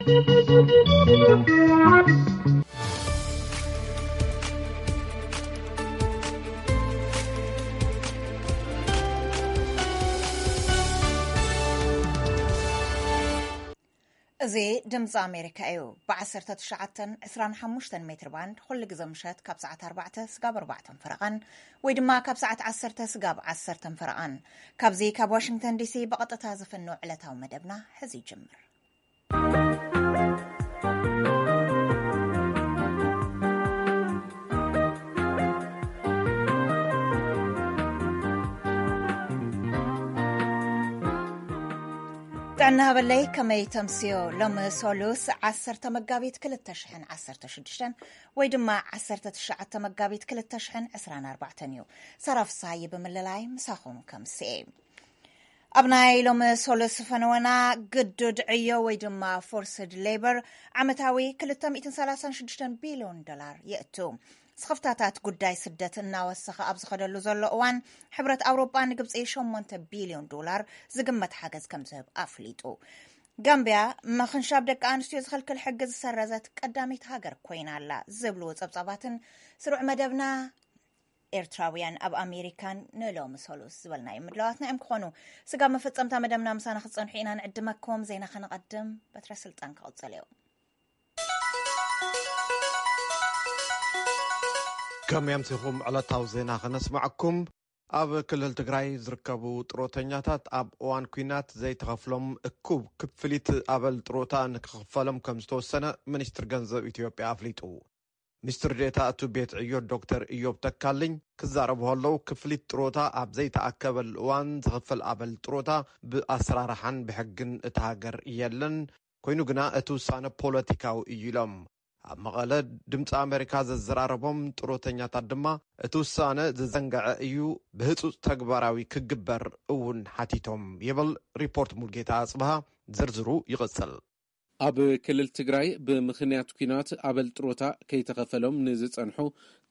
እዚ ድምፂ ኣሜሪካ እዩ። ብ19 25 ሜትር ባንድ ኩሉ ግዜ ምሸት ካብ ሰዓት ኣርባዕተ ስጋብ ኣርባዕተ ፈረቓን ወይ ድማ ካብ ሰዓት ዓሰርተ ስጋብ ዓሰርተ ፈረቓን፣ ካብዚ ካብ ዋሽንግተን ዲሲ ብቐጥታ ዝፍኖ ዕለታዊ መደብና ሕዚ ይጅምር። ጥዕና ሃበለይ፣ ከመይ ተምስዮ? ሎሚ ሶሉስ ዓሰርተ መጋቢት ክልተ ሽሕን ዓሰርተ ሽዱሽተን ወይ ድማ ዓሰርተ ትሽዓተ መጋቢት ክልተ ሽሕን ዕስራን ኣርባዕተን እዩ። ሳራ ፍስሃየ ብምልላይ ምሳኹም ከምስኤ። ኣብ ናይ ሎሚ ሶሉስ ፈነወና፣ ግዱድ ዕዮ ወይ ድማ ፎርስድ ሌበር ዓመታዊ ክልተ ሚእትን ሰላሳን ሽዱሽተን ቢልዮን ዶላር የእቱ። ስኽፍታታት ጉዳይ ስደት እናወሰኸ ኣብ ዝኸደሉ ዘሎ እዋን፣ ሕብረት ኣውሮጳ ንግብፂ ሸሞንተ ቢልዮን ዶላር ዝግመት ሓገዝ ከም ዝህብ ኣፍሊጡ። ጋምቢያ፣ ምኽንሻብ ደቂ ኣንስትዮ ዝኽልክል ሕጊ ዝሰረዘት ቀዳመይቲ ሃገር ኮይና ኣላ ዝብሉ ጸብጻባትን ስሩዕ መደብና ኤርትራውያን ኣብ ኣሜሪካን ንሎሚ ሶሉስ ዝበልናዮም ምድላዋትና እዮም ክኾኑ። ስጋብ መፈጸምታ መደብና ምሳና ክትጸንሑ ኢና ንዕድመኩም። ዜና ከነቐድም፣ በትረ ስልጣን ክቕጽል እዩ። ከመይ ኣምሲኹም? ዕለታዊ ዜና ከነስማዕኩም። ኣብ ክልል ትግራይ ዝርከቡ ጥሮተኛታት ኣብ እዋን ኲናት ዘይተኸፍሎም እኩብ ክፍሊት ኣበል ጥሮታ ንክኽፈሎም ከም ዝተወሰነ ሚኒስትር ገንዘብ ኢትዮጵያ ኣፍሊጡ። ሚኒስትር ዴኤታ እቱ ቤት ዕዮ ዶክተር ኢዮብ ተካልኝ ክዛረቡ ከለዉ፣ ክፍሊት ጥሮታ ኣብ ዘይተኣከበሉ እዋን ዝኽፈል ኣበል ጥሮታ ብኣሰራርሓን ብሕግን እታ ሃገር የለን። ኮይኑ ግና እቲ ውሳነ ፖለቲካዊ እዩ ኢሎም። ኣብ መቐለ ድምፂ ኣሜሪካ ዘዘራረቦም ጥሮተኛታት ድማ እቲ ውሳነ ዝዘንገዐ እዩ፣ ብህፁፅ ተግባራዊ ክግበር እውን ሓቲቶም ይብል ሪፖርት ሙልጌታ ኣፅብሃ። ዝርዝሩ ይቕፅል። ኣብ ክልል ትግራይ ብምኽንያት ኲናት ኣበል ጥሮታ ከይተኸፈሎም ንዝጸንሑ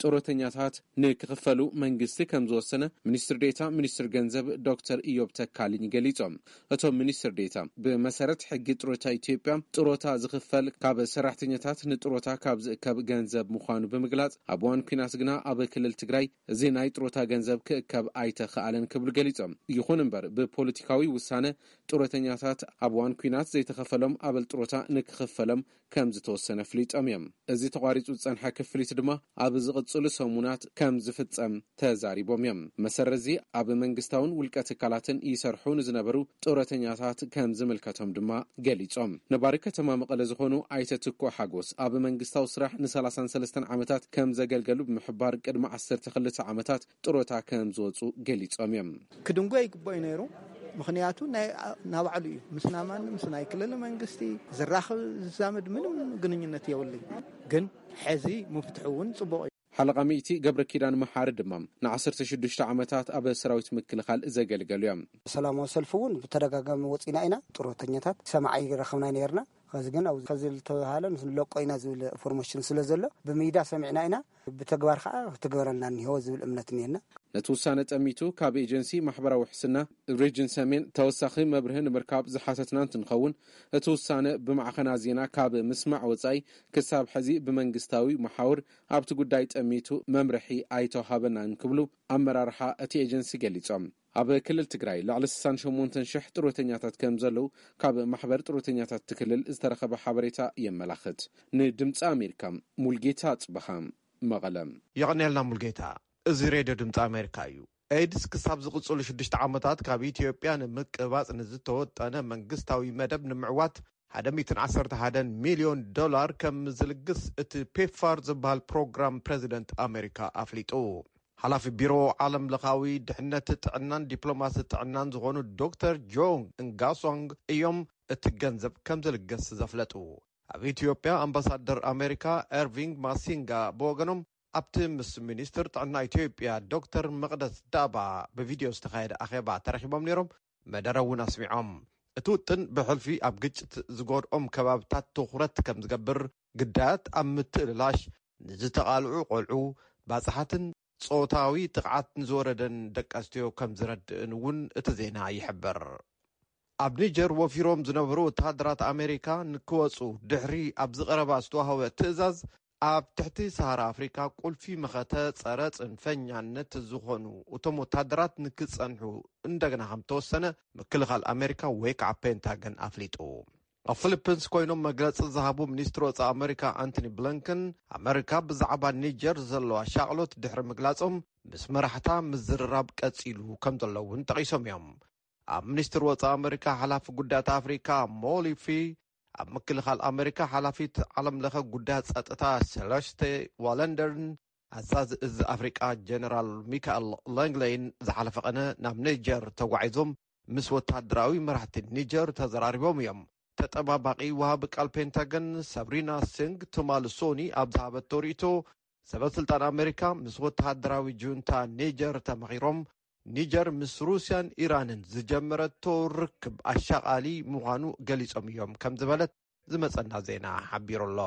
ጥሮተኛታት ንክኽፈሉ መንግስቲ ከም ዝወሰነ ሚኒስትር ዴታ ሚኒስትር ገንዘብ ዶክተር ኢዮብ ተካልኝ ገሊጾም። እቶም ሚኒስትር ዴታ፣ ብመሰረት ሕጊ ጥሮታ ኢትዮጵያ፣ ጥሮታ ዝኽፈል ካብ ሰራሕተኛታት ንጥሮታ ካብ ዝእከብ ገንዘብ ምዃኑ ብምግላጽ፣ ኣብ እዋን ኲናት ግና ኣብ ክልል ትግራይ እዚ ናይ ጥሮታ ገንዘብ ክእከብ ኣይተኽኣለን ክብሉ ገሊጾም። ይኹን እምበር፣ ብፖለቲካዊ ውሳነ ጥሮተኛታት ኣብ እዋን ኲናት ዘይተኸፈሎም ኣበል ጥሮታ ንክኽፈሎም ከም ዝተወሰነ ኣፍሊጦም እዮም። እዚ ተቋሪጹ ዝጸንሐ ክፍሊት ድማ ኣብ ዝቕጽሉ ሰሙናት ከም ዝፍጸም ተዛሪቦም እዮም። መሰረት እዚ ኣብ መንግስታውን ውልቀ ትካላትን ይሰርሑ ንዝነበሩ ጥሮተኛታት ከም ዝምልከቶም ድማ ገሊጾም። ነባሪ ከተማ መቐለ ዝኾኑ ኣይተ ትኩ ሓጎስ፣ ኣብ መንግስታዊ ስራሕ ን33 ዓመታት ከም ዘገልገሉ ብምሕባር፣ ቅድሚ ዓሰርተ ክልተ ዓመታት ጥሮታ ከም ዝወጹ ገሊጾም እዮም። ክድንጎ ይግባእ እዩ ነይሩ። ምኽንያቱ ናይ፣ ናባዕሉ እዩ። ምስ ናማን ምስ ናይ ክልል መንግስቲ ዝራኸብ ዝዛመድ ምንም ግንኙነት የብሉን። ግን ሕዚ ምፍትሑ እውን ጽቡቕ እዩ። ሓለቓ ሚእቲ ገብረ ኪዳን መሓሪ ድማ፣ ን16 ዓመታት ኣብ ሰራዊት ምክልኻል ዘገልገሉ እዮም። ሰላማዊ ሰልፊ እውን ብተደጋጋሚ ወፂና ኢና። ጥሮተኛታት ሰማዕ ይረኸብና ነርና። ከዚ ግን ኣብዚ ከዚ ዝተባሃለ ንለቆ ኢና ዝብል ኢንፎርሜሽን ስለ ዘሎ፣ ብሚዳ ሰሚዕና ኢና። ብተግባር ከዓ ክትግበረልና እኒሆ ዝብል እምነት እኒሄና። ነቲ ውሳነ ጠሚቱ ካብ ኤጀንሲ ማሕበራዊ ውሕስና ሪጅን ሰሜን ተወሳኺ መብርሂ ንምርካብ ዝሓተትና እንትንኸውን፣ እቲ ውሳነ ብማዕኸናት ዜና ካብ ምስማዕ ወጻኢ ክሳብ ሕዚ ብመንግስታዊ መሓውር ኣብቲ ጉዳይ ጠሚቱ መምርሒ ኣይተዋሃበናን ክብሉ ኣመራርሓ እቲ ኤጀንሲ ገሊጾም። ኣብ ክልል ትግራይ ልዕሊ ስሳን ሸሞንተን ሽሕ ጥሮተኛታት ከም ዘለዉ ካብ ማሕበር ጥሮተኛታት እቲ ክልል ዝተረኸበ ሓበሬታ የመላኽት። ንድምፂ ኣሜሪካ፣ ሙልጌታ ጽበሃ፣ መቐለ። የቐንየልና ሙልጌታ። እዚ ሬድዮ ድምፂ ኣሜሪካ እዩ። ኤድስ ክሳብ ዝቕፅሉ ሽዱሽተ ዓመታት ካብ ኢትዮጵያ ንምቅባፅ ንዝተወጠነ መንግስታዊ መደብ ንምዕዋት ሓደ ሚእትን ዓሰርተ ሓደን ሚልዮን ዶላር ከም ዝልግስ እቲ ፔፕፋር ዝበሃል ፕሮግራም ፕሬዚደንት ኣሜሪካ ኣፍሊጡ። ሓላፊ ቢሮ ዓለም ለኻዊ ድሕነት ጥዕናን ዲፕሎማሲ ጥዕናን ዝኾኑ ዶክተር ጆን እንጋሶንግ እዮም እቲ ገንዘብ ከም ዝልገስ ዘፍለጡ። ኣብ ኢትዮጵያ ኣምባሳደር ኣሜሪካ ኤርቪንግ ማሲንጋ ብወገኖም፣ ኣብቲ ምስ ሚኒስትር ጥዕና ኢትዮጵያ ዶክተር መቕደስ ዳባ ብቪድዮ ዝተኻየደ ኣኼባ ተረኺቦም ነይሮም፣ መደረ እውን ኣስሚዖም። እቲ ውጥን ብሕልፊ ኣብ ግጭት ዝጎድኦም ከባብታት ትኹረት ከም ዝገብር፣ ግዳያት ኣብ ምትእልላሽ፣ ንዝተቓልዑ ቆልዑ፣ ባጽሓትን ጾታዊ ጥቕዓት ንዝወረደን ደቂ ኣንስትዮ ከም ዝረድእን እውን እቲ ዜና ይሕብር። ኣብ ኒጀር ወፊሮም ዝነበሩ ወተሃደራት ኣሜሪካ ንክወጹ ድሕሪ ኣብ ዝቐረባ ዝተዋህበ ትእዛዝ፣ ኣብ ትሕቲ ሰሃራ ኣፍሪካ ቁልፊ መኸተ ጸረ ጽንፈኛነት ዝኾኑ እቶም ወተሃደራት ንክጸንሑ እንደገና ከም ተወሰነ ምክልኻል ኣሜሪካ ወይ ከዓ ፔንታገን ኣፍሊጡ። ኣብ ፊሊፒንስ ኮይኖም መግለጺ ዝሃቡ ሚኒስትሪ ወጻኢ ኣሜሪካ ኣንቶኒ ብሊንከን፣ ኣሜሪካ ብዛዕባ ኒጀር ዘለዋ ሻቕሎት ድሕሪ ምግላጾም፣ ምስ መራሕታ ምዝርራብ ቀጺሉ ከም ዘሎ እውን ጠቒሶም እዮም። ኣብ ሚኒስትሪ ወጻኢ ኣሜሪካ ሓላፊ ጉዳያት ኣፍሪካ ሞሊፊ፣ ኣብ ምክልኻል ኣሜሪካ ሓላፊት ዓለም ለኸ ጉዳያት ጸጥታ ሴለስቴ ዋለንደርን ኣዛዚ እዚ ኣፍሪቃ ጀነራል ሚካኤል ላንግሌይን ዝሓለፈ ቀነ ናብ ኒጀር ተጓዒዞም ምስ ወታደራዊ መራሕቲ ኒጀር ተዘራሪቦም እዮም። ተጠባባቂ ወሃቢ ቃል ፔንታገን ሳብሪና ሲንግ ቱማልሶኒ ኣብ ዝሃበቶ ርእይቶ፣ ሰበ ስልጣን ኣሜሪካ ምስ ወተሃደራዊ ጁንታ ኒጀር ተመኺሮም፣ ኒጀር ምስ ሩስያን ኢራንን ዝጀመረቶ ርክብ ኣሻቓሊ ምዃኑ ገሊጾም እዮም ከም ዝበለት ዝመጸና ዜና ሓቢሩ ኣሎ።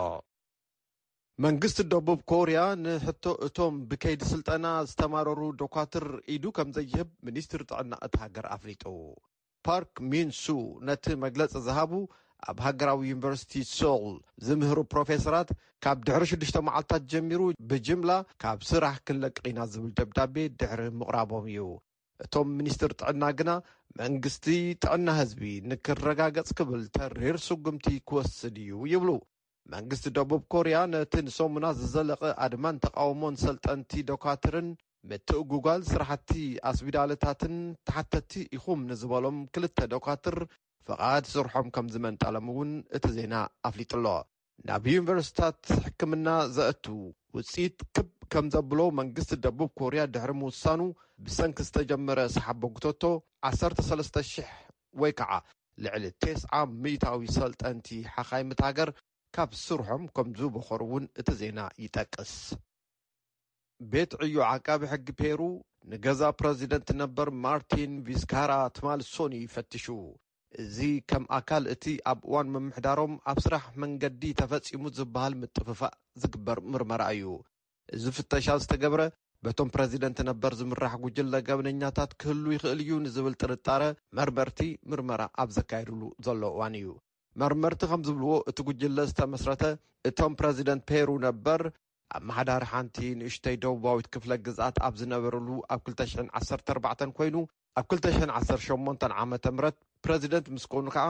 መንግስቲ ደቡብ ኮርያ ንሕቶ እቶም ብከይዲ ስልጠና ዝተማረሩ ዶኳትር ኢዱ ከም ዘይህብ ሚኒስትሪ ጥዕና እቲ ሃገር ኣፍሊጡ። ፓርክ ሚንሱ ነቲ መግለጺ ዝሃቡ ኣብ ሃገራዊ ዩኒቨርሲቲ ሶል ዝምህሩ ፕሮፌሰራት፣ ካብ ድሕሪ ሽዱሽተ መዓልታት ጀሚሩ ብጅምላ ካብ ስራሕ ክንለቅቕ ኢና ዝብል ደብዳቤ ድሕሪ ምቕራቦም እዩ። እቶም ሚኒስትር ጥዕና ግና መንግስቲ ጥዕና ህዝቢ ንክረጋገጽ ክብል ተሪር ስጉምቲ ክወስድ እዩ ይብሉ። መንግስቲ ደቡብ ኮርያ ነቲ ንሰሙናት ዝዘለቐ ኣድማን ተቓውሞን ሰልጠንቲ ዶካትርን ምትእጉጓል ስራሕቲ ኣስቢዳልታትን ተሓተቲ ኢኹም ንዝበሎም ክልተ ዶካትር ፍቓድ ስርሖም ከም ዝመንጠሎም እውን እቲ ዜና ኣፍሊጡ ኣሎ። ናብ ዩኒቨርሲታት ሕክምና ዘእቱ ውፅኢት ክብ ከም ዘብሎ መንግስቲ ደቡብ ኮርያ ድሕሪ ምውሳኑ፣ ብሰንኪ ዝተጀመረ ሰሓቦ ጉተቶ ዓሰርተ ሰለስተ ሽሕ ወይ ከዓ ልዕሊ ተስዓ ሚእታዊ ሰልጠንቲ ሓኻይም እታ ሃገር ካብ ስርሖም ከም ዝበኾሩ እውን እቲ ዜና ይጠቅስ። ቤት ዕዮ ዓቃቢ ሕጊ ፔሩ ንገዛ ፕረዚደንት ነበር ማርቲን ቪዝካራ ትማል ሶኒ ይፈትሹ። እዚ ከም ኣካል እቲ ኣብ እዋን ምምሕዳሮም ኣብ ስራሕ መንገዲ ተፈጺሙ ዝበሃል ምጥፍፋእ ዝግበር ምርመራ እዩ። እዚ ፍተሻ ዝተገብረ በቶም ፕረዚደንት ነበር ዝምራሕ ጉጅለ ገበነኛታት ክህሉ ይኽእል እዩ ንዝብል ጥርጣረ መርመርቲ ምርመራ ኣብ ዘካየድሉ ዘሎ እዋን እዩ። መርመርቲ ከም ዝብልዎ፣ እቲ ጉጅለ ዝተመስረተ እቶም ፕረዚደንት ፔሩ ነበር ኣመሓዳሪ ሓንቲ ንእሽተይ ደቡባዊት ክፍለ ግዝኣት ኣብ ዝነበረሉ ኣብ ክልተ ሽሕን ዓሰርተ ኣርባዕተን ኮይኑ፣ ኣብ ክልተ ሽሕን ዓሰርተ ሸሞንተን ዓመተ ምህረት ፕረዚደንት ምስ ኮኑ ከዓ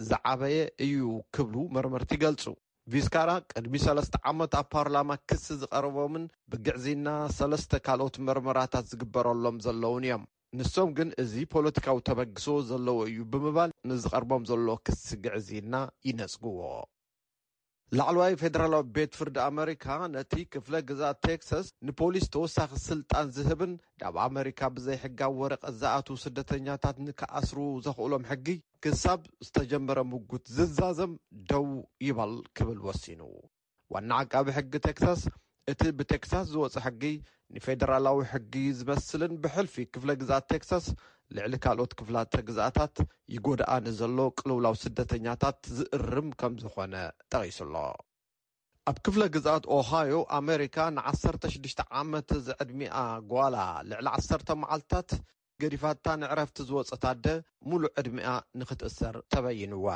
ዝዓበየ እዩ ክብሉ መርመርቲ ይገልጹ። ቪዝካራ ቅድሚ ሰለስተ ዓመት ኣብ ፓርላማ ክሲ ዝቐረቦምን ብግዕዝይና ሰለስተ ካልኦት መርመራታት ዝግበረሎም ዘለውን እዮም። ንሶም ግን እዚ ፖለቲካዊ ተበግሶ ዘለዎ እዩ ብምባል ንዝቐርቦም ዘሎ ክሲ ግዕዝይና ይነጽግዎ። ላዕለዋይ ፌደራላዊ ቤት ፍርዲ ኣመሪካ ነቲ ክፍለ ግዝኣት ቴክሳስ ንፖሊስ ተወሳኺ ስልጣን ዝህብን ናብ ኣመሪካ ብዘይሕጋዊ ወረቐት ዝኣትዉ ስደተኛታት ንክኣስሩ ዘኽእሎም ሕጊ ክሳብ ዝተጀመረ ምጉት ዝዛዘም ደው ይበል ክብል ወሲኑ። ዋና ዓቃቢ ሕጊ ቴክሳስ፣ እቲ ብቴክሳስ ዝወጸ ሕጊ ንፌደራላዊ ሕጊ ዝመስልን ብሕልፊ ክፍለ ግዝኣት ቴክሳስ ልዕሊ ካልኦት ክፍላተ ግዝኣታት ይጎድኣ ንዘሎ ቅልውላው ስደተኛታት ዝእርም ከም ዝኾነ ጠቒሱ ኣሎ። ኣብ ክፍለ ግዝኣት ኦሃዮ ኣሜሪካ ንዓሰርተ ሽዱሽተ ዓመት ዝዕድሚኣ ጓላ ልዕሊ ዓሰርተ መዓልታት ገዲፋታ ንዕረፍቲ ዝወጸት ኣደ፣ ሙሉእ ዕድሚኣ ንኽትእሰር ተበይንዋ።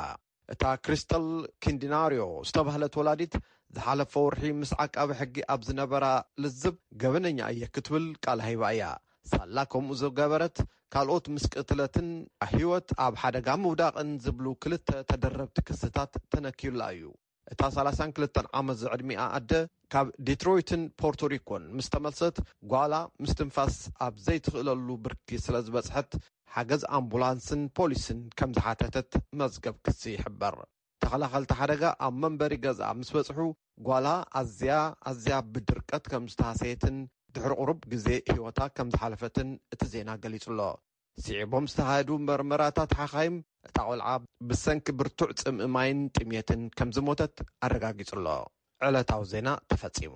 እታ ክሪስተል ኪንዲናርዮ ዝተባህለት ወላዲት፣ ዝሓለፈ ወርሒ ምስ ዓቃቢ ሕጊ ኣብ ዝነበራ ልዝብ፣ ገበነኛ እየ ክትብል ቃል ሃይባ እያ። ሳላ ከምኡ ዝገበረት፣ ካልኦት ምስ ቅትለትን ህይወት ኣብ ሓደጋ ምውዳቕን ዝብሉ ክልተ ተደረብቲ ክስታት ተነኪዩላ እዩ። እታ ሰላሳን ክልተን ዓመት ዝዕድሚኣ ኣደ፣ ካብ ዲትሮይትን ፖርቶሪኮን ምስ ተመልሰት፣ ጓላ ምስትንፋስ ኣብ ዘይትኽእለሉ ብርኪ ስለ ዝበጽሐት፣ ሓገዝ ኣምቡላንስን ፖሊስን ከም ዝሓተተት መዝገብ ክሲ ይሕበር። ተኸላኸልቲ ሓደጋ ኣብ መንበሪ ገዝኣ ምስ በጽሑ፣ ጓላ ኣዝያ፣ ኣዝያ ብድርቀት ከም ዝተሃሰየትን ድሕሪ ቁሩብ ግዜ ህይወታ ከም ዝሓለፈትን እቲ ዜና ገሊጹ ኣሎ። ስዒቦም ዝተኻየዱ መርመራታት ሓኻይም፣ እታ ቆልዓ ብሰንኪ ብርቱዕ ጽምኢ ማይን ጥምየትን ከም ዝሞተት ኣረጋጊጹ ኣሎ። ዕለታዊ ዜና ተፈጺሙ።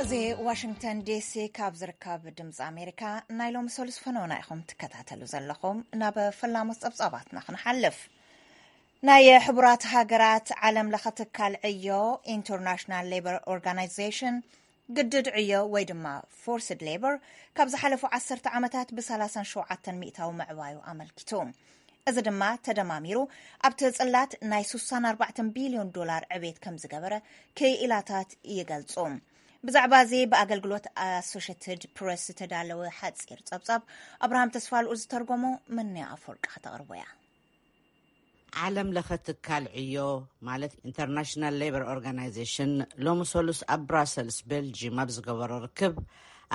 እዚ ዋሽንግተን ዲሲ ካብ ዝርከብ ድምፂ ኣሜሪካ ናይ ሎሚ ሰሉስ ፈነውና ኢኹም ትከታተሉ ዘለኹም። ናብ ፈላሞት ጸብጻባትና ክንሓልፍ። ናይ ሕቡራት ሃገራት ዓለም ለኸ ትካል ዕዮ፣ ኢንተርናሽናል ሌበር ኦርጋናይዜሽን፣ ግድድ ዕዮ ወይ ድማ ፎርስድ ሌበር ካብ ዝሓለፉ ዓሰርተ ዓመታት ብ ሰላሳን ሸውዓተን ሚእታዊ ምዕባዩ ኣመልኪቱ። እዚ ድማ ተደማሚሩ ኣብቲ ጽላት ናይ ስሳን ኣርባዕተን ቢልዮን ዶላር ዕቤት ከም ዝገበረ ክኢላታት ይገልጹ። ብዛዕባ እዚ ብኣገልግሎት ኣሶሽትድ ፕረስ ዝተዳለወ ሓጺር ጸብጻብ ኣብርሃም ተስፋልኡ ዝተርጎሞ፣ ምንያ ኣፈወርቂ ከተቕርቦ እያ። ዓለም ለኸ ትካል ዕዮ፣ ማለት ኢንተርናሽናል ሌበር ኦርጋናይዜሽን፣ ሎሚ ሰሉስ ኣብ ብራሰልስ ቤልጂም ኣብ ዝገበሮ ርክብ፣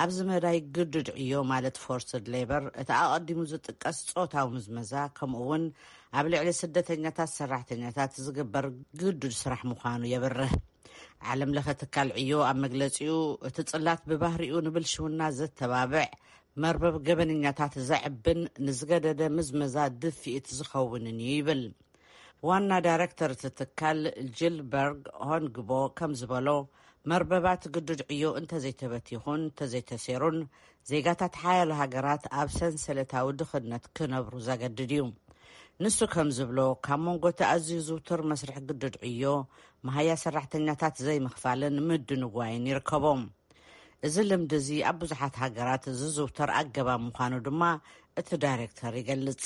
ኣብዚ መዳይ ግዱድ ዕዮ፣ ማለት ፎርስድ ሌበር፣ እቲ ኣቐዲሙ ዝጥቀስ ጾታዊ ምዝመዛ፣ ከምኡ እውን ኣብ ልዕሊ ስደተኛታት ሰራሕተኛታት ዝግበር ግዱድ ስራሕ ምዃኑ የብርህ። ዓለም ለኸ ትካል ዕዮ ኣብ መግለጺኡ፣ እቲ ጽላት ብባህሪኡ ንብልሽውና ዘተባብዕ፣ መርበብ ገበነኛታት ዘዕብን ንዝገደደ ምዝመዛ ድፍኢት ዝኸውንን እዩ ይብል። ዋና ዳይረክተር እቲ ትካል ጂልበርግ ሆንግቦ ከም ዝበሎ፣ መርበባት ግዱድ ዕዮ እንተዘይተበቲኹን እንተዘይተሴሩን፣ ዜጋታት ሓያሎ ሃገራት ኣብ ሰንሰለታዊ ድኽነት ክነብሩ ዘገድድ እዩ። ንሱ ከም ዝብሎ፣ ካብ መንጎ እቲ ኣዝዩ ዝውቱር መስርሕ ግዱድ ዕዮ፣ መሃያ ሰራሕተኛታት ዘይምኽፋልን ምድንጓይን ይርከቦም። እዚ ልምዲ እዚ ኣብ ብዙሓት ሃገራት ዝዝውተር ኣገባብ ምዃኑ ድማ እቲ ዳይሬክተር ይገልጽ።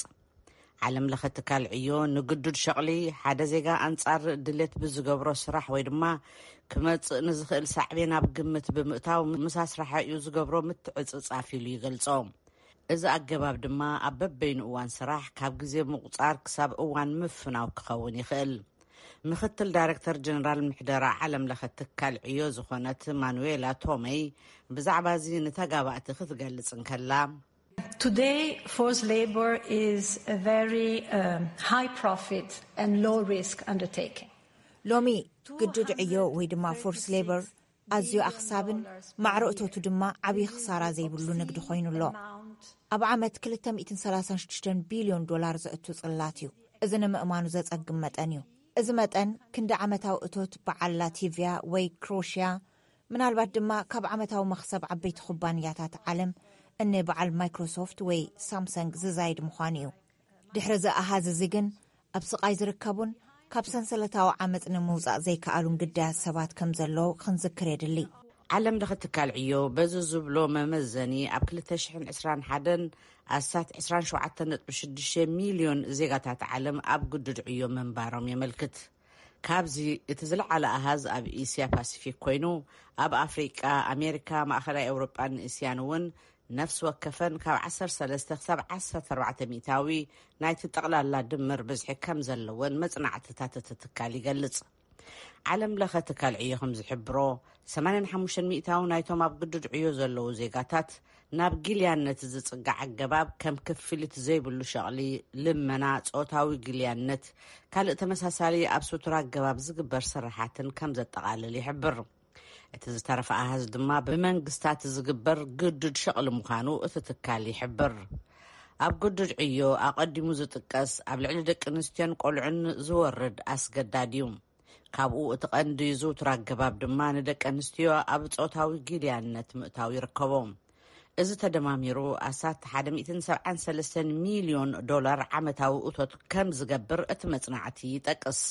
ዓለም ለኸ ትካል ዕዮ ንግዱድ ሸቕሊ ሓደ ዜጋ ኣንጻር ድሌት ብዝገብሮ ስራሕ ወይ ድማ ክመጽእ ንዝኽእል ሳዕቤን ኣብ ግምት ብምእታው፣ ምስ ኣስራሓዩ ዝገብሮ ምትዕጽጻፍ ኢሉ ይገልጾ። እዚ ኣገባብ ድማ ኣብ በበይኑ እዋን ስራሕ፣ ካብ ግዜ ምቑጻር ክሳብ እዋን ምፍናው ክኸውን ይኽእል። ምኽትል ዳይረክተር ጀነራል ምሕደራ ዓለም ለኸ ትካል ዕዮ ዝኾነት ማኑዌላ ቶመይ፣ ብዛዕባ እዚ ንተጋባእቲ ክትገልጽ እንከላ፣ Today, forced labor is a very um, high profit and low risk undertaking. ሎሚ ግዱድ ዕዮ ወይ ድማ ፎርስ ሌበር ኣዝዩ ኣኽሳብን ማዕረ እቶቱ ድማ ዓብዪ ክሳራ ዘይብሉ ንግዲ ኮይኑ ኣሎ። ኣብ ዓመት ክልተ ሚእትን ሰላሳን ሽዱሽተን ቢልዮን ዶላር ዘእቱ ጽላት እዩ። እዚ ንምእማኑ ዘጸግም መጠን እዩ። እዚ መጠን ክንዲ ዓመታዊ እቶት በዓል ላቲቪያ ወይ ክሮሽያ፣ ምናልባት ድማ ካብ ዓመታዊ መኽሰብ ዓበይቲ ኩባንያታት ዓለም እነ በዓል ማይክሮሶፍት ወይ ሳምሰንግ ዝዛይድ ምዃኑ እዩ። ድሕሪ እዚ ኣሃዝ እዚ ግን ኣብ ስቓይ ዝርከቡን ካብ ሰንሰለታዊ ዓመጽ ንምውጻእ ዘይከኣሉን ግዳያት ሰባት ከም ዘለዉ ክንዝክር የድሊ። ዓለም ለኸ ትካል ዕዮ በዚ ዝብሎ መመዘኒ፣ ኣብ ክልተ ሽሕን ዕስራን ሓደን ኣስታት ዕስራን ሸውዓተን ነጥቢ ሽዱሽተ ሚልዮን ዜጋታት ዓለም ኣብ ግዱድ ዕዮ ምንባሮም የመልክት። ካብዚ እቲ ዝለዓለ ኣሃዝ ኣብ እስያ ፓሲፊክ ኮይኑ፣ ኣብ ኣፍሪቃ፣ ኣሜሪካ፣ ማእኸላይ ኤውሮጳን እስያን እውን ነፍሲ ወከፈን ካብ ዓሰርተ ሰለስተ ክሳብ ዓሰርተ ኣርባዕተ ሚእታዊ ናይቲ ጠቕላላ ድምር ብዝሒ ከም ዘለወን መጽናዕትታት እቲ ትካል ይገልጽ። ዓለም ለኸ ትካል ዕዮ ከም ዝሕብሮ፣ ሰማንያን ሓሙሽተን ሚእታዊ ናይቶም ኣብ ግዱድ ዕዮ ዘለዉ ዜጋታት ናብ ጊልያነት ዝጽጋዕ ኣገባብ ከም ክፍሊት ዘይብሉ ሸቕሊ፣ ልመና፣ ጾታዊ ጊልያነት፣ ካልእ ተመሳሳሊ ኣብ ስቱር ኣገባብ ዝግበር ስራሓትን ከም ዘጠቓልል ይሕብር። እቲ ዝተረፈ ኣሃዝ ድማ ብመንግስታት ዝግበር ግዱድ ሸቕሊ ምዃኑ እቲ ትካል ይሕብር። ኣብ ግዱድ ዕዮ ኣቐዲሙ ዝጥቀስ ኣብ ልዕሊ ደቂ ኣንስትዮን ቆልዑን ዝወርድ ኣስገዳድ እዩ። ካብኡ እቲ ቀንዲ ዝውቱር ኣገባብ ድማ ንደቂ ኣንስትዮ ኣብ ጾታዊ ጊልያነት ምእታው ይርከቦ። እዚ ተደማሚሩ ኣስታት ሓደ ሚእትን ሰብዓን ሰለስተን ሚልዮን ዶላር ዓመታዊ እቶት ከም ዝገብር እቲ መጽናዕቲ ይጠቅስ።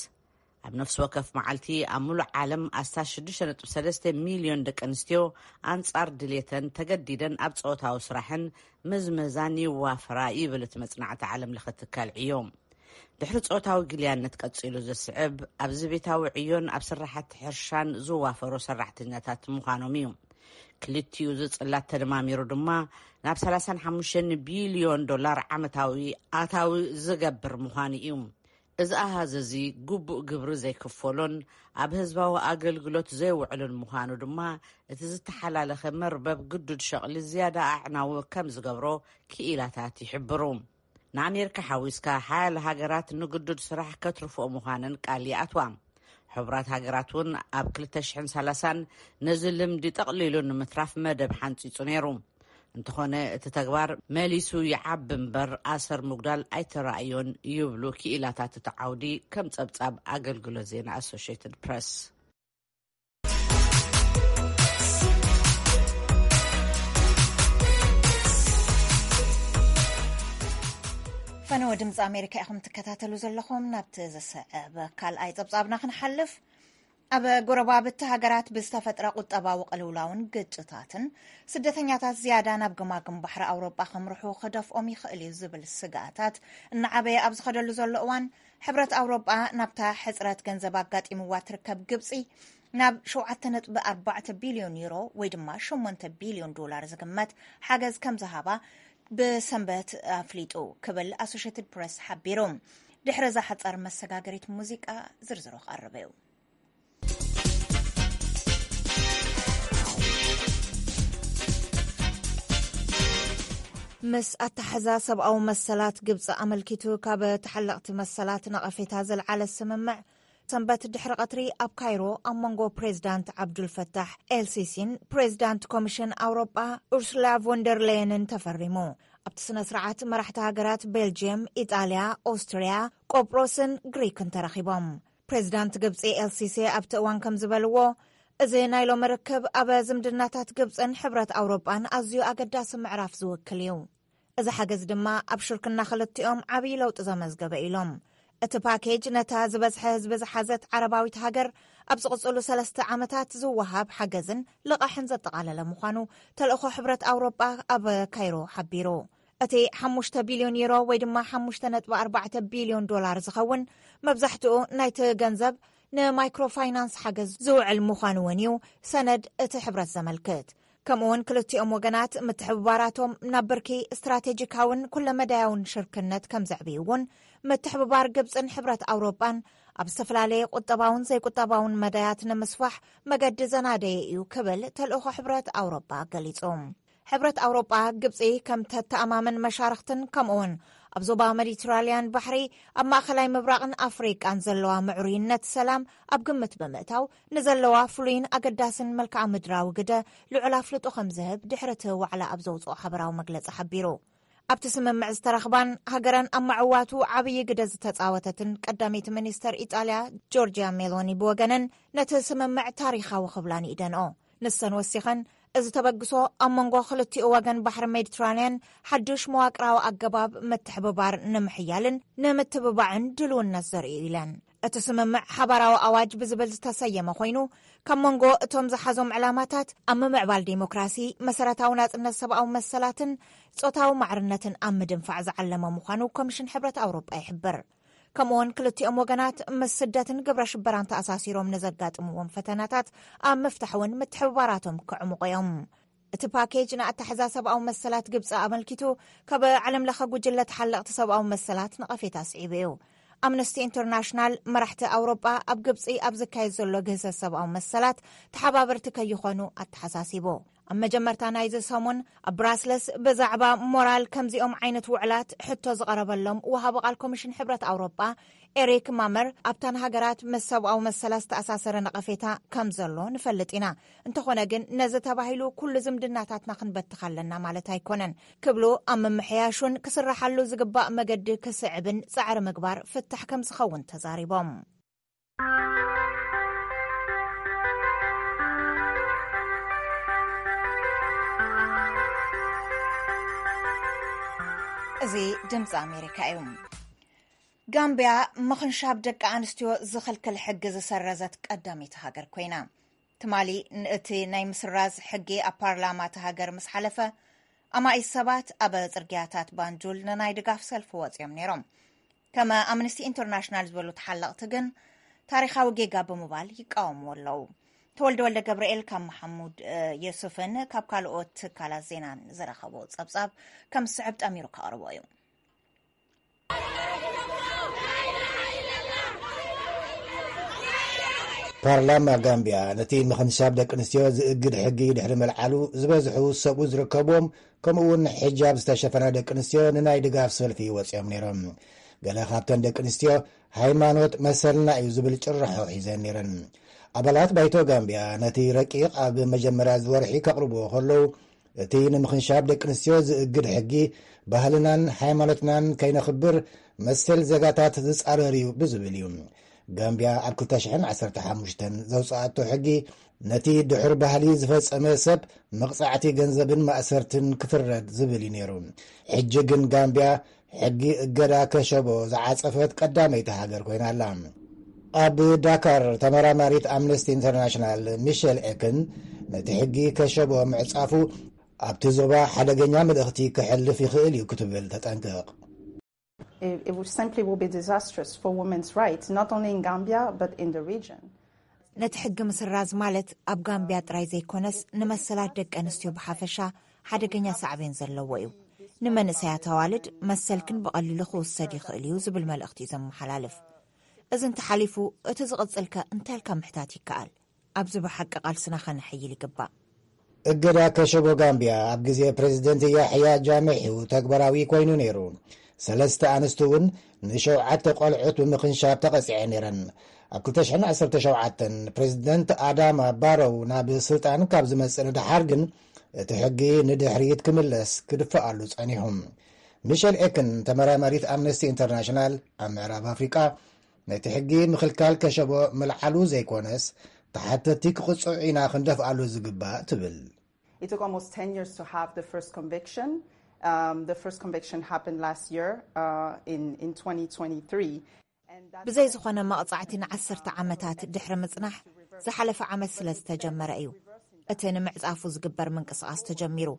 ኣብ ነፍሲ ወከፍ መዓልቲ ኣብ ሙሉእ ዓለም ኣስታት ሽዱሽተ ነጥቢ ሰለስተ ሚልዮን ደቂ ኣንስትዮ ኣንጻር ድሌተን ተገዲደን ኣብ ጾታዊ ስራሕን ምዝመዛን ይዋፈራ ይብል እቲ መጽናዕቲ ዓለም ለኸ ትካል ዕዮ። ድሕሪ ጾታዊ ግልያነት ቀጺሉ ዝስዕብ ኣብዚ ቤታዊ ዕዮን ኣብ ስራሓት ሕርሻን ዝዋፈሩ ሰራሕተኛታት ምዃኖም እዩ። ክልቲኡ ዝጽላት ተደማሚሩ ድማ ናብ ሰላሳን ሓሙሽተን ቢልዮን ዶላር ዓመታዊ ኣታዊ ዝገብር ምዃኑ እዩ። እዚ ኣሃዝ እዚ ግቡእ ግብሪ ዘይክፈሎን ኣብ ህዝባዊ ኣገልግሎት ዘይውዕልን ምዃኑ ድማ፣ እቲ ዝተሓላለኸ መርበብ ግዱድ ሸቕሊ ዝያዳ ኣዕናዊ ከም ዝገብሮ ክኢላታት ይሕብሩ። ንኣሜሪካ ሓዊስካ ሓያለ ሃገራት ንግዱድ ስራሕ ከትርፍኦ ምዃነን ቃል ይኣትዋ። ሕቡራት ሃገራት እውን ኣብ ክልተ ሽሕን ሰላሳን ነዚ ልምዲ ጠቕሊሉ ንምትራፍ መደብ ሓንጺጹ ነይሩ። እንተኾነ፣ እቲ ተግባር መሊሱ ይዓቢ እምበር፣ ኣሰር ምጉዳል ኣይተራእዮን ይብሉ ክኢላታት እቲ ዓውዲ፣ ከም ጸብጻብ ኣገልግሎት ዜና ኣሶሽየትድ ፕረስ። ድምፂ ኣሜሪካ ኢኹም ትከታተሉ ዘለኹም። ናብቲ ዝስዕብ ካልኣይ ፀብፃብና ክንሓልፍ፣ ኣብ ጎረባብቲ ሃገራት ብዝተፈጥረ ቁጠባዊ ቅልውላውን ግጭታትን ስደተኛታት ዝያዳ ናብ ገማግም ባሕሪ ኣውሮጳ ከምርሑ ክደፍኦም ይኽእል እዩ ዝብል ስግኣታት እናዓበየ ኣብ ዝኸደሉ ዘሎ እዋን፣ ሕብረት ኣውሮጳ ናብታ ሕፅረት ገንዘብ ኣጋጢምዋ ትርከብ ግብፂ ናብ ሸውዓተ ነጥቢ ኣርባዕተ ቢልዮን ዩሮ ወይ ድማ ሸሞንተ ቢልዮን ዶላር ዝግመት ሓገዝ ከም ዝሃባ ብሰንበት ኣፍሊጡ ክብል ኣሶሽትድ ፕረስ ሓቢሩ። ድሕሪ እዛ ሓጻር መሰጋገሪት ሙዚቃ ዝርዝሩ ክቐርብ እዩ። ምስ ኣተሓዛ ሰብኣዊ መሰላት ግብፂ ኣመልኪቱ ካብ ተሓለቕቲ መሰላት ነቐፌታ ዘልዓለ ስምምዕ ሰንበት ድሕሪ ቀትሪ ኣብ ካይሮ ኣብ መንጎ ፕሬዝዳንት ዓብዱልፈታሕ ኤልሲሲን ፕሬዝዳንት ኮሚሽን ኣውሮጳ ኡርሱላ ቮንደርለየንን ተፈሪሙ። ኣብቲ ስነ ስርዓት መራሕቲ ሃገራት ቤልጅየም፣ ኢጣልያ፣ ኦስትርያ፣ ቆጵሮስን ግሪክን ተረኺቦም። ፕሬዝዳንት ግብፂ ኤልሲሲ ኣብቲ እዋን ከም ዝበልዎ፣ እዚ ናይ ሎሚ ርክብ ኣብ ዝምድናታት ግብፅን ሕብረት ኣውሮጳን ኣዝዩ ኣገዳሲ ምዕራፍ ዝውክል እዩ። እዚ ሓገዝ ድማ ኣብ ሽርክና ክልቲኦም ዓብዪ ለውጢ ዘመዝገበ ኢሎም። እቲ ፓኬጅ ነታ ዝበዝሐ ህዝቢ ዝሓዘት ዓረባዊት ሃገር ኣብ ዝቕፅሉ ሰለስተ ዓመታት ዝወሃብ ሓገዝን ልቓሕን ዘጠቓለለ ምዃኑ ተልእኾ ሕብረት ኣውሮጳ ኣብ ካይሮ ሓቢሩ። እቲ ሓሙሽተ ቢልዮን ዩሮ ወይ ድማ ሓሙሽተ ነጥቢ ኣርባዕተ ቢልዮን ዶላር ዝኸውን መብዛሕትኡ ናይቲ ገንዘብ ንማይክሮ ፋይናንስ ሓገዝ ዝውዕል ምዃኑ እውን እዩ ሰነድ እቲ ሕብረት ዘመልክት። ከምኡ እውን ክልቲኦም ወገናት ምትሕብባራቶም ናብ ብርኪ ስትራቴጂካውን ኩለመዳያውን ሽርክነት ከም ዘዕብዩ እውን ምትሕብባር ግብፅን ሕብረት ኣውሮጳን ኣብ ዝተፈላለየ ቁጠባውን ዘይቁጠባውን መዳያት ንምስፋሕ መገዲ ዘናደየ እዩ ክብል ተልእኾ ሕብረት ኣውሮጳ ገሊጹ። ሕብረት ኣውሮጳ ግብፂ ከም ተተኣማመን መሻርክትን ከምኡውን ኣብ ዞባ ሜዲትራልያን ባሕሪ ኣብ ማእኸላይ ምብራቕን ኣፍሪቃን ዘለዋ ምዕሩይነት ሰላም ኣብ ግምት ብምእታው ንዘለዋ ፍሉይን ኣገዳስን መልክዓ ምድራዊ ግደ ልዑል ኣፍልጦ ከም ዝህብ ድሕሪ እቲ ዋዕላ ኣብ ዘውፅኦ ሓበራዊ መግለፂ ሓቢሩ። ኣብቲ ስምምዕ ዝተረኽባን ሃገረን ኣብ መዕዋቱ ዓብዪ ግደ ዝተፃወተትን ቀዳመይቲ ሚኒስተር ኢጣልያ ጆርጂያ ሜሎኒ ብወገነን ነቲ ስምምዕ ታሪኻዊ ክብላ ንኢደንኦ። ንሰን ወሲኸን፣ እዚ ተበግሶ ኣብ መንጎ ክልቲኡ ወገን ባሕሪ ሜዲትራንያን ሓዱሽ መዋቅራዊ ኣገባብ ምትሕብባር ንምሕያልን ንምትብባዕን ድልውነት ዘርኢ እዩ ኢለን። እቲ ስምምዕ ሓባራዊ ኣዋጅ ብዝብል ዝተሰየመ ኮይኑ፣ ካብ መንጎ እቶም ዝሓዞም ዕላማታት ኣብ ምምዕባል ዴሞክራሲ፣ መሰረታዊ ናጽነት ሰብኣዊ መሰላትን ጾታዊ ማዕርነትን ኣብ ምድንፋዕ ዝዓለመ ምዃኑ ኮሚሽን ሕብረት ኣውሮጳ ይሕብር። ከምኡውን ክልቲኦም ወገናት ምስ ስደትን ግብረ ሽበራን ተኣሳሲሮም ንዘጋጥምዎም ፈተናታት ኣብ ምፍታሕ እውን ምትሕብባራቶም ክዕምቑ እዮም። እቲ ፓኬጅ ንኣተሓዛ ሰብኣዊ መሰላት ግብፂ ኣመልኪቱ ካብ ዓለም ለኸ ጉጅለ ተሓለቕቲ ሰብኣዊ መሰላት ነቐፌታ ስዒቡ እዩ። ኣምነስቲ ኢንተርናሽናል መራሕቲ ኣውሮጳ ኣብ ግብፂ ኣብ ዝካየድ ዘሎ ግህሰት ሰብኣዊ መሰላት ተሓባበርቲ ከይኾኑ ኣተሓሳሲቡ። ኣብ መጀመርታ ናይዚ ሰሙን ኣብ ብራስለስ ብዛዕባ ሞራል ከምዚኦም ዓይነት ውዕላት ሕቶ ዝቐረበሎም ወሃቢ ቃል ኮሚሽን ሕብረት ኣውሮጳ ኤሪክ ማመር ኣብተን ሃገራት ምስ ሰብኣዊ መሰላት ዝተኣሳሰረ ነቐፌታ ከም ዘሎ ንፈልጥ ኢና። እንተኾነ ግን ነዚ ተባሂሉ ኩሉ ዝምድናታትና ክንበትኽ ኣለና ማለት ኣይኮነን ክብሉ ኣብ ምምሕያሹን ክስራሓሉ ዝግባእ መገዲ ክስዕብን ጻዕሪ ምግባር ፍታሕ ከም ዝኸውን ተዛሪቦም። እዚ ድምፂ ኣሜሪካ እዩ። ጋምቢያ ምኽንሻብ ደቂ ኣንስትዮ ዝኽልክል ሕጊ ዝሰረዘት ቀዳመይቲ ሃገር ኮይና። ትማሊ እቲ ናይ ምስራዝ ሕጊ ኣብ ፓርላማ እቲ ሃገር ምስ ሓለፈ፣ ኣማኢት ሰባት ኣብ ጽርግያታት ባንጁል ንናይ ድጋፍ ሰልፊ ወጺኦም ነይሮም። ከም ኣምነስቲ ኢንተርናሽናል ዝበሉ ተሓለቕቲ ግን ታሪኻዊ ጌጋ ብምባል ይቃወምዎ ኣለዉ። ተወልደ ወልደ ገብርኤል ካብ መሓሙድ የሱፍን ካብ ካልኦት ትካላት ዜናን ዝረኸቦ ጸብጻብ ከም ዝስዕብ ጠሚሩ ከቕርቦ እዩ። ፓርላማ ጋምቢያ ነቲ ምኽንሻብ ደቂ ኣንስትዮ ዝእግድ ሕጊ ድሕሪ ምልዓሉ፣ ዝበዝሑ ሰብኡ ዝርከብዎም፣ ከምኡ እውን ሒጃብ ዝተሸፈና ደቂ ኣንስትዮ ንናይ ድጋፍ ሰልፊ ወፂኦም ነይሮም። ገለ ካብተን ደቂ ኣንስትዮ ሃይማኖት መሰልና እዩ ዝብል ጭርሖ ሒዘን ነይረን። ኣባላት ባይቶ ጋምቢያ ነቲ ረቂቕ ኣብ መጀመርያ ዝወርሒ ከቕርብዎ ከለዉ፣ እቲ ንምኽንሻብ ደቂ ኣንስትዮ ዝእግድ ሕጊ ባህልናን ሃይማኖትናን ከይነኽብር መሰል ዜጋታት ዝጻረር እዩ ብዝብል እዩ። ጋምቢያ ኣብ ክልተ ሽሕን ዓሰርተ ሓሙሽተን ዘውጽኣቶ ሕጊ ነቲ ድሑር ባህሊ ዝፈጸመ ሰብ መቕጻዕቲ ገንዘብን ማእሰርትን ክፍረድ ዝብል እዩ ነይሩ። ሕጂ ግን ጋምቢያ ሕጊ እገዳ ከሸቦ ዝዓጸፈት ቀዳመይቲ ሃገር ኮይና ኣላ። ኣብ ዳካር ተመራማሪት ኣምነስቲ ኢንተርናሽናል ሚሸል ኤክን ነቲ ሕጊ ከሸቦ ምዕጻፉ ኣብቲ ዞባ ሓደገኛ መልእኽቲ ክሕልፍ ይኽእል እዩ ክትብል ተጠንቅቕ። It, it would simply will be disastrous for women's rights, not only in Gambia, but in the region. ነቲ ሕጊ ምስራዝ ማለት ኣብ ጋምቢያ ጥራይ ዘይኮነስ ንመሰላት ደቂ ኣንስትዮ ብሓፈሻ ሓደገኛ ሳዕቤን ዘለዎ እዩ። ንመንእሰያት ኣዋልድ መሰልክን ብቐሊሉ ክውሰድ ይኽእል እዩ ዝብል መልእኽቲ እዩ ዘመሓላልፍ። እዚ እንተሓሊፉ እቲ ዝቕጽልከ እንታይ ኢልካ ምሕታት ይከኣል? ኣብዚ ብሓቂ ቃልስና ከነሐይል ይግባእ። እገዳ ከሸቦ ጋምቢያ ኣብ ግዜ ፕሬዝደንት ያሕያ ጃምሕ እዩ ተግባራዊ ኮይኑ ነይሩ። ሰለስተ ኣንስቲ እውን ንሸውዓተ ቆልዑት ብምኽንሻብ ተቐጺዐ ነይረን። ኣብ ክልተ ሽሕን ዓሰርተ ሸውዓተን ፕሬዝደንት ኣዳማ ባሮው ናብ ስልጣን ካብ ዝመጽእ ንደሓር ግን እቲ ሕጊ ንድሕሪት ክምለስ ክድፍኣሉ ጸኒሑ። ሚሸል ኤክን ተመራማሪት ኣምነስቲ ኢንተርናሽናል ኣብ ምዕራብ ኣፍሪቃ ነቲ ሕጊ ምኽልካል ከሸቦ ምልዓሉ ዘይኮነስ ተሓተቲ ክቕጽዑ ኢና ክንደፍኣሉ ዝግባእ ትብል። It took almost ten years to have the first conviction. Um, the first conviction happened last year uh, in, in twenty twenty-three. ብዘይ ዝኾነ መቕጻዕቲ ንዓሰርተ ዓመታት ድሕሪ ምጽናሕ ዝሓለፈ ዓመት ስለ ዝተጀመረ እዩ እቲ ንምዕጻፉ ዝግበር ምንቅስቓስ ተጀሚሩ።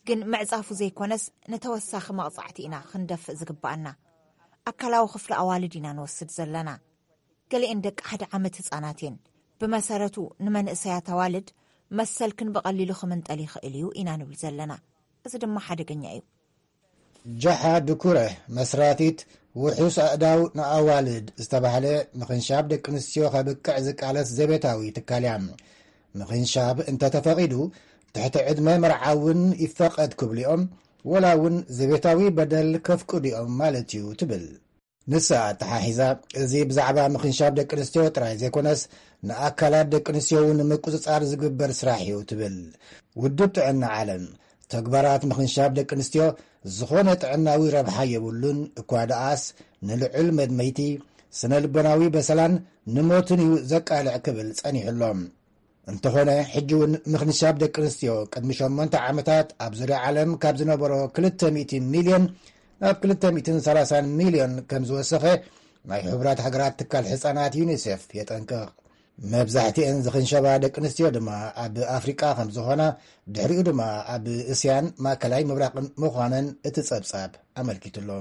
ግን ምዕጻፉ ዘይኮነስ ንተወሳኺ መቕጻዕቲ ኢና ክንደፍእ ዝግባኣና። ኣካላዊ ክፍሊ ኣዋልድ ኢና ንወስድ ዘለና። ገሊኤን ደቂ ሓደ ዓመት ህጻናት እየን። ብመሰረቱ ንመንእሰያት ኣዋልድ መሰልክን ብቐሊሉ ክምንጠል ይኽእል እዩ ኢና ንብል ዘለና። እዚ ድማ ሓደገኛ እዩ። ጃሓ ድኩረ መስራቲት ውሑስ ኣእዳው ንኣዋልድ ዝተባህለ ምኽንሻብ ደቂ ኣንስትዮ ከብቅዕ ዝቃለስ ዘቤታዊ ትካል እያ። ምኽንሻብ እንተተፈቒዱ ትሕቲ ዕድመ መርዓ እውን ይፈቐድ ክብሉ እዮም፣ ወላ እውን ዘቤታዊ በደል ከፍቅዱ እዮም ማለት እዩ ትብል። ንሳ ኣተሓሒዛ፣ እዚ ብዛዕባ ምኽንሻብ ደቂ ኣንስትዮ ጥራይ ዘይኮነስ ንኣካላት ደቂ ኣንስትዮ እውን ንምቁጽጻር ዝግበር ስራሕ እዩ ትብል። ውድብ ጥዕና ዓለም ተግባራት ምኽንሻብ ደቂ ኣንስትዮ ዝኾነ ጥዕናዊ ረብሓ የብሉን እኳ ደኣስ ንልዑል መድመይቲ ስነ ልቦናዊ በሰላን ንሞትን እዩ ዘቃልዕ ክብል ጸኒሑ ኣሎ። እንተኾነ ሕጂ እውን ምኽንሻብ ደቂ ኣንስትዮ ቅድሚ ሸሞንተ ዓመታት ኣብ ዙርያ ዓለም ካብ ዝነበሮ ክልተ ሚእቲ ሚልዮን ናብ ክልተ ሚእትን ሰላሳን ሚልዮን ከም ዝወሰኸ ናይ ሕቡራት ሃገራት ትካል ሕፃናት ዩኒሴፍ የጠንቅቕ። መብዛሕትኤን ዝኽንሸባ ደቂ ኣንስትዮ ድማ ኣብ ኣፍሪቃ ከም ዝኾና ድሕሪኡ ድማ ኣብ እስያን ማእከላይ ምብራቕን ምዃነን እቲ ጸብጻብ ኣመልኪቱ ኣሎ።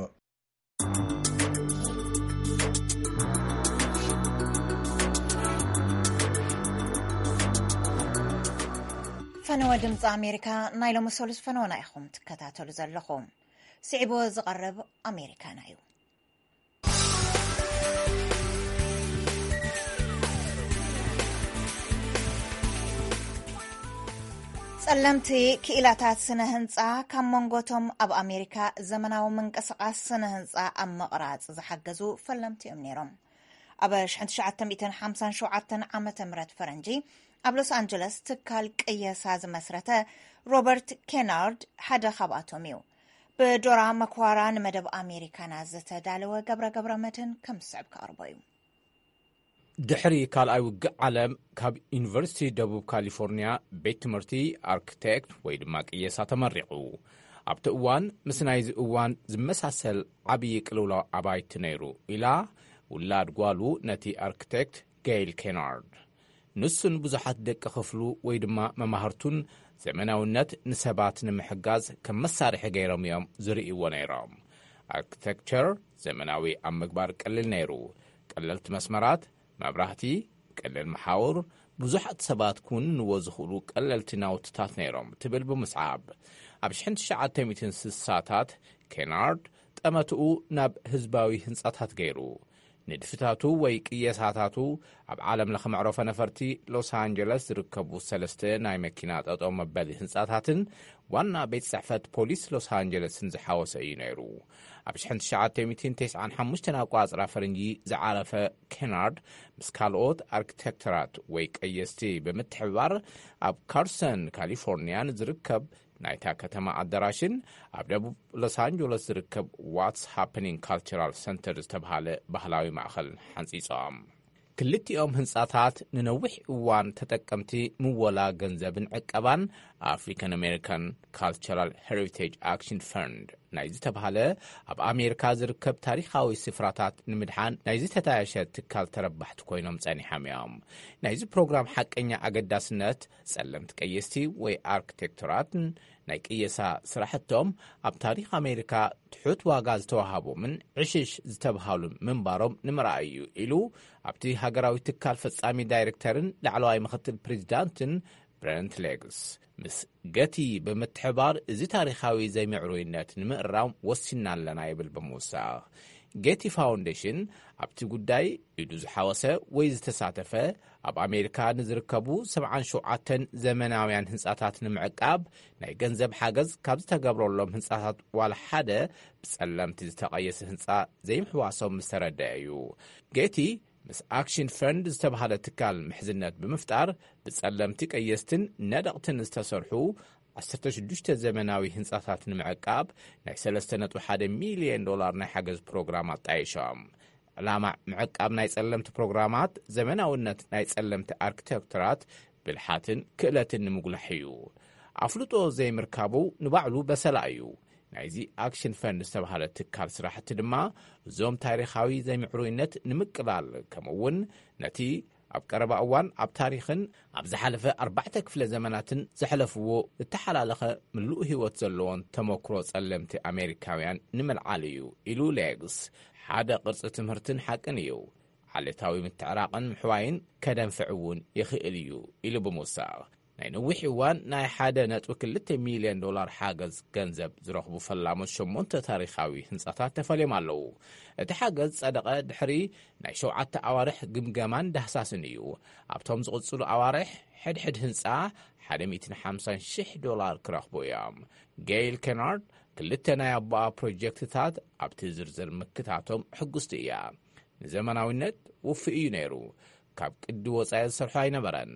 ፈነወ ድምፂ ኣሜሪካ ናይ ሎሚ ሰሉስ ፈነወና ኢኹም ትከታተሉ ዘለኹም። ስዒቡ ዝቐርብ ኣሜሪካና እዩ። ጸለምቲ ክኢላታት ስነ ህንጻ ካብ መንጎቶም ኣብ ኣሜሪካ ዘመናዊ ምንቅስቓስ ስነ ህንጻ ኣብ ምቕራጽ ዝሓገዙ ፈለምቲ እዮም ነይሮም። ኣብ ሽሕን ትሽዓተ ሚእትን ሓምሳን ሸውዓተን ዓመተ ምህረት ፈረንጂ ኣብ ሎስ ኣንጀለስ ትካል ቅየሳ ዝመስረተ ሮበርት ኬናርድ ሓደ ካብኣቶም እዩ። ብዶራ መክዋራ ንመደብ ኣሜሪካና ዝተዳለወ ገብረ ገብረ መድህን ከም ዝስዕብ ክቐርቦ እዩ። ድሕሪ ካልኣይ ውግእ ዓለም ካብ ዩኒቨርሲቲ ደቡብ ካሊፎርኒያ ቤት ትምህርቲ ኣርክቴክት ወይ ድማ ቅየሳ ተመሪቑ። ኣብቲ እዋን ምስ ናይዚ እዋን ዝመሳሰል ዓብዪ ቅልውላው ኣባይቲ ነይሩ ኢላ ውላድ ጓሉ ነቲ ኣርክቴክት ገይል ኬናርድ። ንሱን ብዙሓት ደቂ ክፍሉ ወይ ድማ መማህርቱን ዘመናውነት ንሰባት ንምሕጋዝ ከም መሳርሒ ገይሮም እዮም ዝርእይዎ ነይሮም። ኣርክቴክቸር ዘመናዊ ኣብ ምግባር ቀሊል ነይሩ። ቀለልቲ መስመራት፣ መብራህቲ፣ ቀለል መሓውር፣ ብዙሓት ሰባት ክውንንዎ ዝኽእሉ ቀለልቲ ናውትታት ነይሮም ትብል ብምስዓብ ኣብ ሽሕን ትሽዓተ ሚእትን ስሳታት ኬናርድ ጠመትኡ ናብ ህዝባዊ ህንጻታት ገይሩ። ንድፍታቱ ወይ ቅየሳታቱ ኣብ ዓለም ለኸ መዕረፎ ነፈርቲ ሎስ ኣንጀለስ ዝርከቡ ሰለስተ ናይ መኪና ጠጠው መበሊ ህንጻታትን ዋና ቤት ጽሕፈት ፖሊስ ሎስ ኣንጀለስን ዝሓወሰ እዩ ነይሩ። ኣብ ሽሕን ትሽዓተ ሚእትን ተስዓን ሓሙሽተን ኣቋጽራ ፈረንጂ ዝዓረፈ ኬናርድ ምስ ካልኦት ኣርክቴክተራት ወይ ቀየስቲ ብምትሕብባር ኣብ ካርሰን ካሊፎርኒያ ንዝርከብ ናይታ ከተማ ኣዳራሽን ኣብ ደቡብ ሎስ ኣንጀለስ ዝርከብ ዋትስ ሃፐኒንግ ካልቸራል ሰንተር ዝተብሃለ ባህላዊ ማእኸልን ሓንጺጾም። ክልቲኦም ህንጻታት ንነዊሕ እዋን ተጠቀምቲ ምወላ ገንዘብን ዕቀባን ኣፍሪካን ኣሜሪካን ካልቸራል ሄሪቴጅ ኣክሽን ፈንድ ናይ ዝተባህለ ኣብ ኣሜሪካ ዝርከብ ታሪኻዊ ስፍራታት ንምድሓን ናይ ዝተታየሸ ትካል ተረባሕቲ ኮይኖም ጸኒሖም እዮም። ናይዚ ፕሮግራም ሓቀኛ ኣገዳስነት፣ ጸለምቲ ቀየስቲ ወይ ኣርክቴክቶራትን ናይ ቅየሳ ስራሕቶም ኣብ ታሪኽ ኣሜሪካ ትሑት ዋጋ ዝተዋሃቦምን ዕሽሽ ዝተብሃሉ ምንባሮም ንምርኣይ እዩ፣ ኢሉ ኣብቲ ሃገራዊ ትካል ፈጻሚ ዳይሬክተርን ላዕለዋይ ምኽትል ፕሬዚዳንትን ብረንት ሌግስ። ምስ ገቲ ብምትሕባር እዚ ታሪኻዊ ዘይምዕሩይነት ንምእራም ወሲና ኣለና፣ ይብል ብምውሳኽ። ጌቲ ፋውንዴሽን ኣብቲ ጉዳይ ኢዱ ዝሓወሰ ወይ ዝተሳተፈ፣ ኣብ ኣሜሪካ ንዝርከቡ ሰብዓን ሸውዓተን ዘመናውያን ህንጻታት ንምዕቃብ ናይ ገንዘብ ሓገዝ ካብ ዝተገብረሎም ህንጻታት ዋላ ሓደ ብጸለምቲ ዝተቐየሰ ህንጻ ዘይምሕዋሶም ምስ ተረድአ እዩ። ጌቲ ምስ ኣክሽን ፈንድ ዝተባህለ ትካል ምሕዝነት ብምፍጣር፣ ብጸለምቲ ቀየስትን ነደቕትን ዝተሰርሑ ዓሰርተ ሽዱሽተ ዘመናዊ ህንጻታት ንምዕቃብ ናይ ሰለስተ ነጥቢ ሓደ ሚልዮን ዶላር ናይ ሓገዝ ፕሮግራም ኣጣይሾም። ዕላማ ምዕቃብ ናይ ጸለምቲ ፕሮግራማት፣ ዘመናውነት ናይ ጸለምቲ ኣርክቴክተራት፣ ብልሓትን ክእለትን ንምጉላሕ እዩ። ኣፍልጦ ዘይምርካቡ ንባዕሉ በሰላ እዩ። ናይዚ ኣክሽን ፈንድ ዝተባህለ ትካል ስራሕቲ ድማ፣ እዞም ታሪኻዊ ዘይምዕሩይነት ንምቅላል፣ ከምኡ እውን ነቲ ኣብ ቀረባ እዋን ኣብ ታሪኽን ኣብ ዝሓለፈ ኣርባዕተ ክፍለ ዘመናትን ዘሕለፍዎ እተሓላለኸ ምሉእ ህይወት ዘለዎን ተመክሮ ጸለምቲ ኣሜሪካውያን ንምልዓል እዩ፣ ኢሉ ሌግስ። ሓደ ቅርጺ ትምህርትን ሓቅን እዩ። ዓሌታዊ ምትዕራቕን ምሕዋይን ከደንፍዕ እውን ይኽእል እዩ፣ ኢሉ ብምውሳኽ፣ ናይ ነዊሕ እዋን ናይ ሓደ ነጥቢ ክልተ ሚልዮን ዶላር ሓገዝ ገንዘብ ዝረኽቡ ፈላሞት ሸሞንተ ታሪኻዊ ህንጻታት ተፈልዮም ኣለዉ። እቲ ሓገዝ ጸደቐ ድሕሪ ናይ ሸውዓተ ኣዋርሕ ግምገማን ዳህሳስን እዩ። ኣብቶም ዝቕጽሉ ኣዋርሕ፣ ሕድሕድ ህንጻ ሓደ ሚእትን ሓምሳን ሽሕ ዶላር ክረኽቡ እዮም። ጌይል ኬናርድ ክልተ ናይ ኣቦኣ ፕሮጀክትታት ኣብቲ ዝርዝር ምክታቶም ሕጉስቲ እያ። ንዘመናዊነት ውፉእ እዩ ነይሩ። ካብ ቅዲ ወጻኢ ዝሰርሖ ኣይነበረን።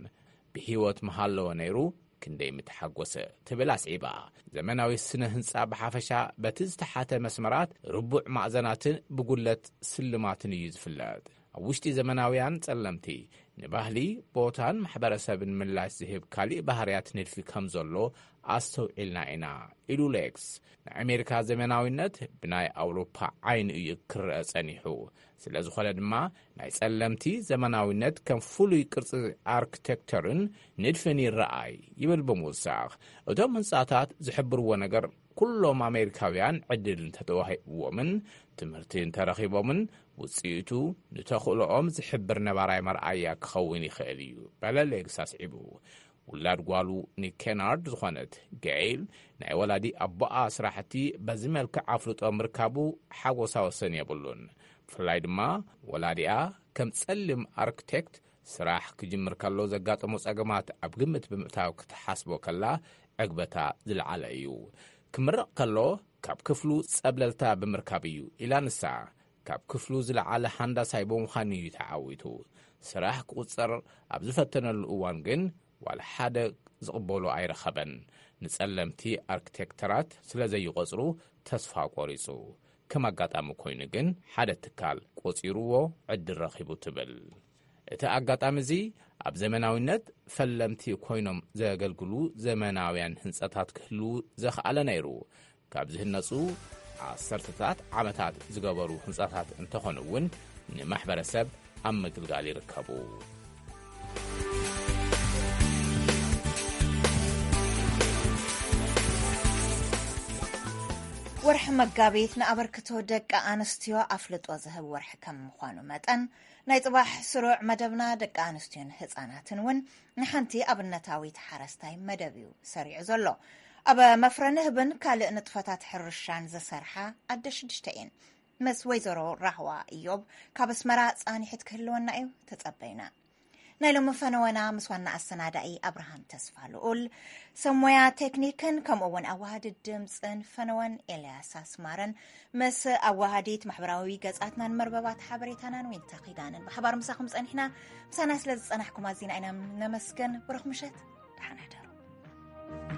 ብህይወት ምሃለወ ነይሩ ክንደይ ምተሓጎሰ፣ ትብል ኣስዒባ። ዘመናዊ ስነ ህንጻ ብሓፈሻ በቲ ዝተሓተ መስመራት፣ ርቡዕ ማእዘናትን ብጉለት ስልማትን እዩ ዝፍለጥ። ኣብ ውሽጢ ዘመናውያን ጸለምቲ፣ ንባህሊ፣ ቦታን ማሕበረሰብን ምላሽ ዝህብ ካሊእ ባህርያት ንድፊ ከም ዘሎ ኣስተውዒልና ኢና፣ ኢሉ ሌክስ። ናይ ኣሜሪካ ዘመናዊነት ብናይ ኣውሮፓ ዓይኒ እዩ ክረአ ጸኒሑ። ስለ ዝኾነ ድማ፣ ናይ ጸለምቲ ዘመናዊነት ከም ፍሉይ ቅርጺ ኣርክቴክቸርን ንድፍን ይረኣይ፣ ይብል ብምውሳኽ። እቶም ህንጻታት ዝሕብርዎ ነገር፣ ኩሎም ኣሜሪካውያን ዕድል እንተተዋሂብዎምን ትምህርቲ እንተረኺቦምን፣ ውጽኢቱ ንተኽእሎኦም ዝሕብር ነባራይ መርኣያ ክኸውን ይኽእል እዩ፣ በለ ሌክስ ኣስዒቡ። ውላድ ጓሉ ኒክ ኬናርድ ዝኾነት ጌይል፣ ናይ ወላዲ ኣቦኣ ስራሕቲ በዚ መልክዕ ኣፍልጦ ምርካቡ ሓጎሳ ወሰን የብሉን። ብፍላይ ድማ፣ ወላዲኣ ከም ጸሊም ኣርክቴክት ስራሕ ክጅምር ከሎ ዘጋጠሞ ጸገማት ኣብ ግምት ብምእታው ክትሓስቦ ከላ፣ ዕግበታ ዝለዓለ እዩ። ክምረቕ ከሎ፣ ካብ ክፍሉ ጸብለልታ ብምርካብ እዩ፣ ኢላ ንሳ። ካብ ክፍሉ ዝለዓለ ሃንዳሳይ ብምዃኑ እዩ ተዓዊቱ። ስራሕ ክቑጸር ኣብ ዝፈተነሉ እዋን ግን፣ ዋላ ሓደ ዝቕበሎ ኣይረኸበን። ንጸለምቲ ኣርክቴክተራት ስለ ዘይቖጽሩ ተስፋ ቆሪጹ። ከም ኣጋጣሚ ኮይኑ ግን፣ ሓደ ትካል ቆጺርዎ ዕድል ረኺቡ፣ ትብል። እቲ ኣጋጣሚ እዚ፣ ኣብ ዘመናዊነት ፈለምቲ ኮይኖም ዘገልግሉ ዘመናውያን ህንጻታት ክህልዉ ዘኽኣለ ነይሩ። ካብ ዝህነጹ ዓሰርተታት ዓመታት ዝገበሩ ህንጻታት እንተኾኑ እውን፣ ንማሕበረሰብ ኣብ ምግልጋል ይርከቡ። ወርሒ መጋቢት ንኣበርክቶ ደቂ ኣንስትዮ ኣፍልጦ ዝህብ ወርሒ ከም ምዃኑ መጠን፣ ናይ ጽባሕ ስሩዕ መደብና ደቂ ኣንስትዮን ህጻናትን እውን ንሓንቲ ኣብነታዊት ሓረስታይ መደብ እዩ ሰሪዑ ዘሎ። ኣብ መፍረ ንህብን ካልእ ንጥፈታት ሕርሻን ዝሰርሓ ኣደ ሽዱሽተ እየን። ምስ ወይዘሮ ራህዋ እዮብ ካብ ኣስመራ ጻኒሕት ክህልወና እዩ፣ ተጸበዩና። ናይ ሎሚ ፈነወና ምስ ዋና ኣሰናዳኢ ኣብርሃም ተስፋ ልኡል፣ ሰብ ሞያ ቴክኒክን ከምኡ እውን ኣዋሃዲ ድምጽን ፈነወን ኤልያስ ኣስማረን፣ ምስ ኣዋሃዲት ማሕበራዊ ገጻትናን መርበባት ሓበሬታናን ዊንታ ኪዳንን ብሓባር ምሳኹም ጸኒሕና። ምሳና ስለ ዝጸናሕኩም ኣዚና ኢና ነመስግን። ብሩኽ ምሸት፣ ደሓን ሕደሩ።